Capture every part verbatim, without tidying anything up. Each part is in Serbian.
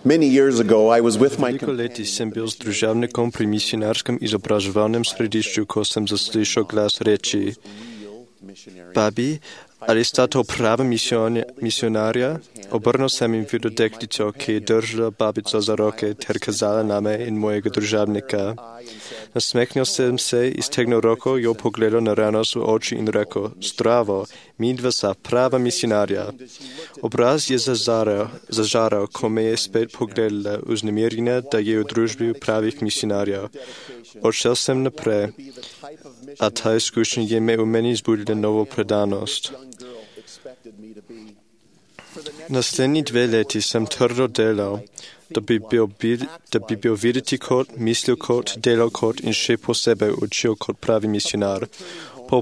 Many years ago, I was with my Veliko leti sem bil s družavnikom pri misijarskem izobraževalnem središču, ko sem zaslišal glas reči: Babi, ali sta to prava misionarja? Obrnil sem in videl deklico, ki je držala babico za roke ter kazala name in mojega družavnika. Nasmehnil sem se, iztegnil roko, jo pogledal naravnost v oči in rekel: Zdravo, midva sta prava misionarja. Obraz je zažaral, zažaral, ko me je spet pogledala, vznemirjena, da je v družbi pravih misionarjev. Odšel sem naprej, a ta izkušnja je me v meni zbudila novo predanost. Naslednji dve leti sem trdo delal, da bi bil, da bi bil videti kot, mislil kot, delal kot in še posebej učil kot pravi misionar. Po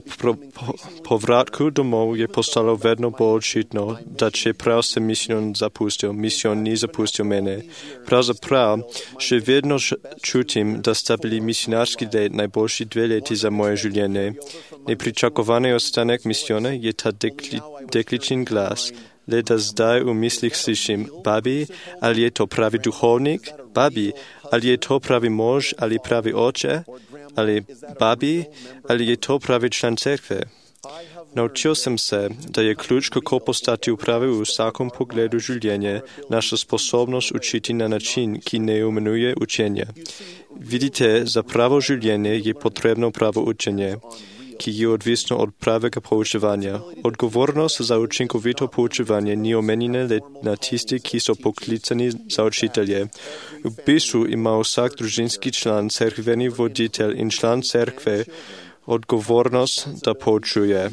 povratku domov je postalo vedno bolj očitno, da čeprav sem misijon zapustil, misijon ni zapustil mene. Pravzaprav še vedno čutim, da sta bili misionarski let najboljši dve leti za moje življenje. Nepričakovani ostanek misijona je ta dekli, dekličin glas. Le da zdaj v mislih slišim: Babi, ali je to pravi duhovnik? Babi, ali je to pravi mož ali pravi oče? Ali babi, ali je to pravi član cerkve? Naučil sem se, da je ključ, kako postati v pravi v vsakom pogledu življenja, naša sposobnost učiti na način, ki ne imenuje učenja. Vidite, za pravo življenje je potrebno pravo učenje, ki je odvisno od pravega poučevanja. Odgovornost za učinkovito poučevanje ni omenjena le na tisti, ki so poklicani za učitelje. V bistvu ima vsak družinski član, cerkveni voditelj in član cerkve odgovornost, da poučuje.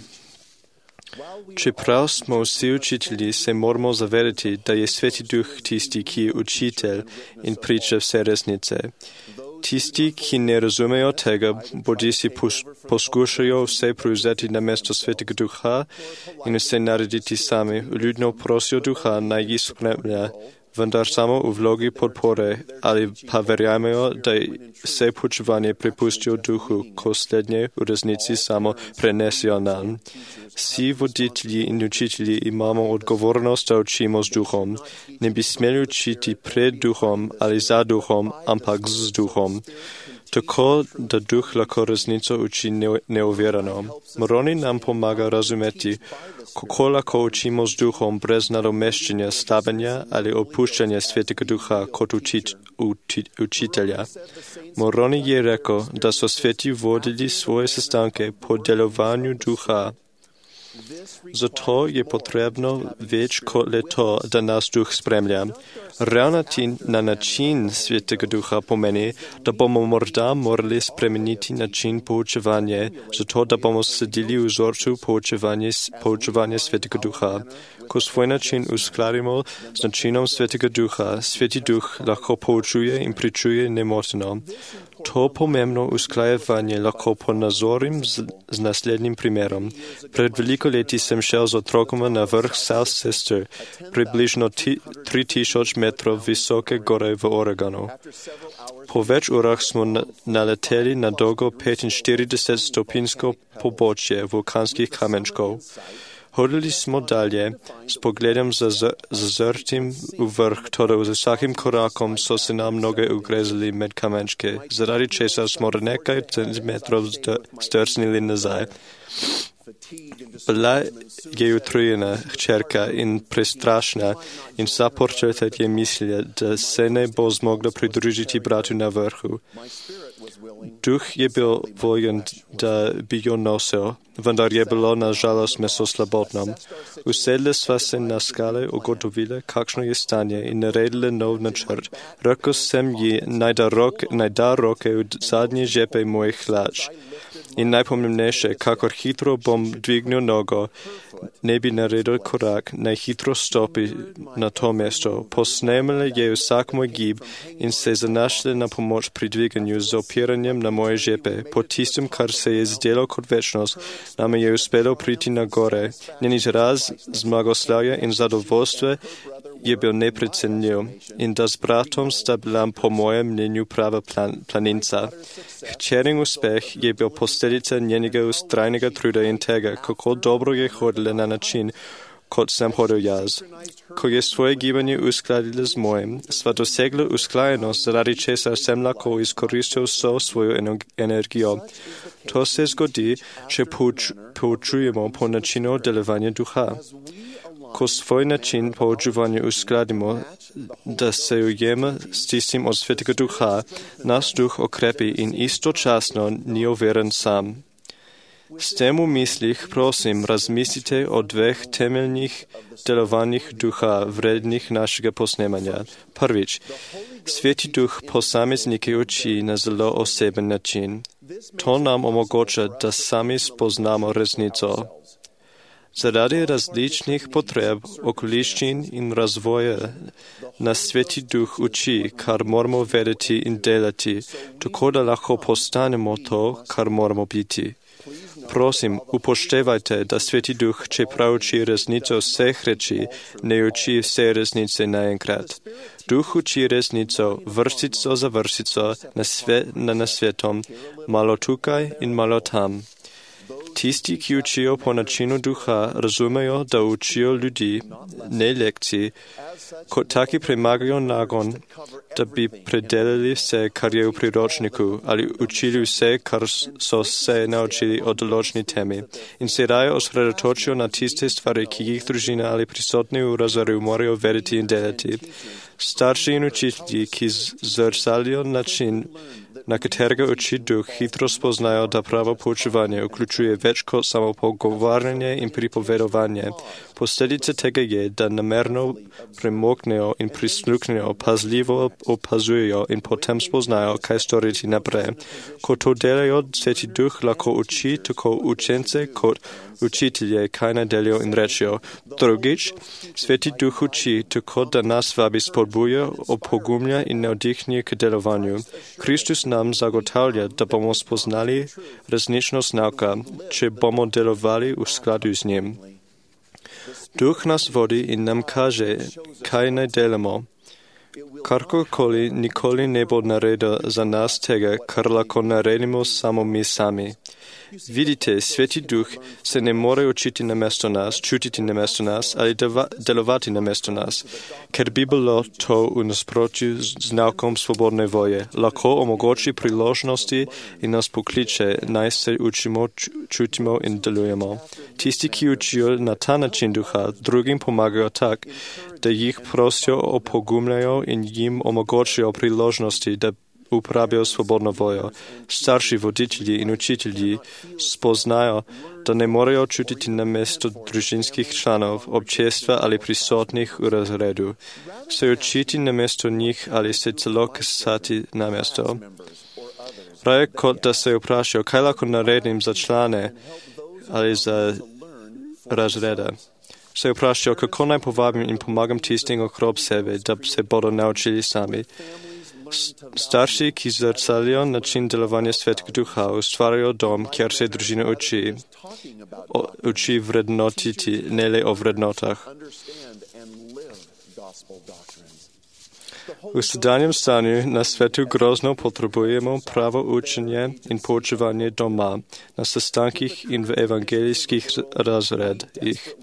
Čeprav smo vsi učitelji, se moramo zavedati, da je Sveti Duh tisti, ki je učitelj in priča vse resnice. Tisti, ki ne razumejo tega, bodi si poskušajo vse prevzeti na mesto Svetega Duha in vse narediti sami. Ljudno prosijo Duha, naj jih spremlja, vendar samo v vlogi podpore, ali pa verjamejo, da vse poučevanje prepustijo Duhu, ko slednje v resnici samo prenesijo nam. Vsi voditelji in učitelji imamo odgovornost, da učimo z Duhom. Ne bi smeli učiti pred Duhom ali za Duhom, ampak z Duhom. Tako, da Duh lahko resnico uči neovirano. Moroni nam pomaga razumeti, kako lahko učimo z Duhom brez nadomeščanja, stavanja ali opuščanja Svetega Duha kot učit, učit, učitelja. Moroni je rekel, da so sveti vodili svoje sestanke po delovanju Duha. Zato je potrebno več kot le to, da nas Duh spremlja. Ravnati na način Svetega Duha pomeni, da bomo morda morali spremeniti način poučevanja, zato da bomo sledili vzorcu poučevanja Svetega Duha. Ko svoj način uskladimo z načinom Svetega Duha, Sveti Duh lahko poučuje in pričuje nemoteno. To pomembno usklajevanje lahko ponazorim z, z naslednjim primerom. Pred veliko leti sem šel z otrokoma na vrh South Sister, približno tri tisoč metrov visoke gore v Oregonu. Po več urah smo naleteli na dolgo petinštirideset stopinjsko pobočje vulkanskih kamenčkov. Hodili smo dalje, s pogledom zazrtim v vrh, toda z vsakim korakom so se nam noge ugrezali med kamenčke, zaradi česar smo nekaj centimetrov zdrsnili nazaj. Bila je utrujena hčerka in prestrašna in vsa porčetet je mislila, da se ne bo zmogla pridružiti bratu na vrhu. Duh je bil voljen, da bi jo nosil, vendar je bilo na žalost meso slabotno. Usedli sva se na skale, ugotovili, kakšno je stanje in naredili nov načrt. Rekel sem ji, naj da, rok, naj da roke v zadnje žepe mojih hlač. In najpomembnejše, kakor hitro bom dvignil nogo, ne bi naredil korak, naj hitro stopi na to mesto. Posnemali je vsak moj gib in se zanašali na pomoč pri dviganju z opiranjem na moje žepe. Po tistem, kar se je zdelo kot večnost, nam je uspelo priti na gore. Njen izraz zmagoslavja in zadovoljstva je bil neprecenljiv in da s bratom sta bila po mojem mnenju prava plan, planinca. Hčerin uspeh je bil posledica njenega ustrajnega truda in tega, kako dobro je hodila na način, kot sem hodil jaz. koje svoje gibanje uskladili s mojim, sva dosegla usklajenost, zaradi česar sem lahko izkoristil so svoju energijo. To se zgodi, če pouč, poučujemo po načinu delovanja duha. Ko svoj način poučovanja uskladimo, da se ujeme s tistim od svetega duha, naš duh okrepi in istočasno ni overen sam. S tem v mislih, prosim, razmislite o dveh temeljnih delovanjih duha, vrednih našega posnemanja. Prvič, Sveti duh posameznike uči na zelo oseben način. To nam omogoča, da sami spoznamo resnico. Zaradi različnih potreb, okoliščin in razvoja nas Sveti duh uči, kar moramo vedeti in delati, tako da lahko postanemo to, kar moramo biti. Prosim, upoštevajte, da Sveti duh, čeprav uči resnico vseh reči, ne uči vse resnice naenkrat. Duh uči resnico vrstico za vrstico na, sve, na nasvetom, malo tukaj in malo tam. Tisti, ki učijo po načinu duha, razumejo, da učijo ljudi, ne lekcij, kot taki premagajo nagon, da bi predelali vse, kar je v priročniku, ali učili vse, kar so se naučili o določni temi, in se raje osredotočijo na tiste stvari, ki jih družina ali prisotni v razredu morajo vedeti in delati. Starši in učitelji, ki zrcalijo način, na katerega uči duh, hitro spoznajo, da pravo poučevanje vključuje več kot samo pogovarjanje in pripovedovanje. Posledica tega je, da namerno premoknejo in prisluhnejo, pazljivo opazujejo in potem spoznajo, kaj storiti naprej. Ko to delajo, Sveti duh lahko uči tako učence kot učitelje, kaj naj delijo in rečijo. Drugič, Sveti duh uči tako, da nas vabi spodbuja, opogumlja in navdihnje k delovanju. Kristus nam zagotavlja, da bomo spoznali resničnost nauka, če bomo delovali v skladu z njim. Duh nas vodi in nam kaže, kaj naj delamo. Karkoli nikoli ne bo naredil za nas tega, kar lahko naredimo samo mi sami. Vidite, Sveti duh se ne more učiti namesto nas, čutiti namesto nas ali deva, delovati namesto nas, ker bi bilo to v nasprotju z naukom svobodne volje. Lahko omogoči priložnosti in nas pokliče, naj se učimo, čutimo in delujemo. Tisti, ki učijo na ta način duha, drugim pomagajo tak, da jih prosijo, opogumljajo in jim omogočijo priložnosti, da uporabijo svobodno voljo. Starši voditelji in učitelji spoznajo, da ne morejo čutiti namesto družinskih članov, občestva ali prisotnih v razredu. Se učiti namesto njih ali se celo kasati namesto. Raje kot da se vprašajo, kaj lahko naredim za člane ali za razreda. Se vprašajo, kako naj povabim in pomagam tistim okrog sebe, da se bodo naučili sami. Starši, ki zrcalijo način delovanja Svetega duha, ustvarjajo dom, kjer se družina uči, o, uči vrednotiti, ne le o vrednotah. V sedanjem stanju na svetu grozno potrebujemo pravo učenje in poučevanje doma, na sestankih in v evangelijskih razredih.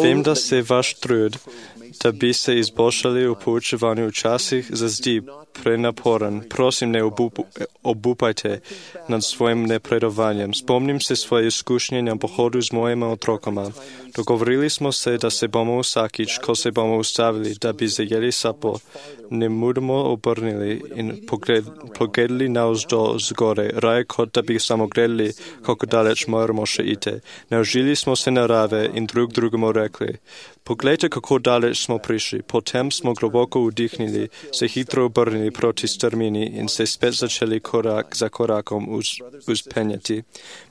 Vem, da se vaš trud, da bi se izboljšali v poučevanju včasih, zazdi prenaporen. Prosim, ne obup obupajte nad svojim napredovanjem. Spomnim se svoje izkušnje na pohodu z mojima otrokoma. Dogovorili smo se, da se bomo vsakič, ko se bomo ustavili, da bi zajeli sapo, nemudoma obrnili in pogled, pogledali navzdol zgore, raje kot da bi samo gledali, kako daleč moramo še iti. Naučili smo se narave in drug drugemu rekli, poglejte, kako daleč smo prišli. Potem smo globoko vdihnili, se hitro obrnili proti strmini in se spet začeli korak za korakom vzpenjati.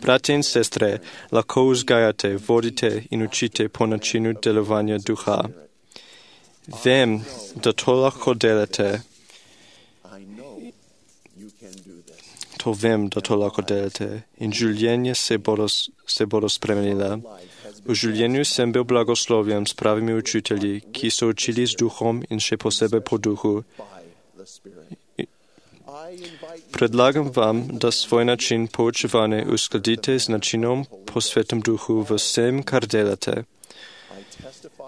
Bratje in sestre, lahko vzgajate, vodite in učite po načinu delovanja duha. Vem, da to lahko delate. To vem, da to lahko delate. In življenje se bodo, se bodo spremenila. V življenju sem bil blagoslovljen s pravimi učitelji, ki so učili z duhom in še posebej po duhu. Предлагам вам да свой начин poučevanja uskladite s načinom po Svetom Duhu v vsem, kar delate.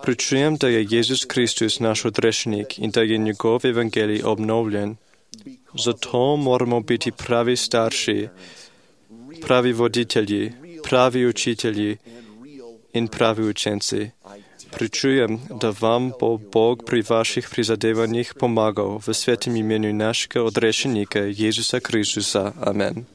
Pričujem, da je Jezus Kristus naš odrešenik in da je njegov evangelij obnovljen. Zato moramo biti pravi starši, pravi voditelji, pravi učitelji in pravi učenci. Pričujem, da vam bo Bog pri vaših prizadevanjih pomagal v svetem imenu našega odrešenika Jezusa Kristusa. Amen.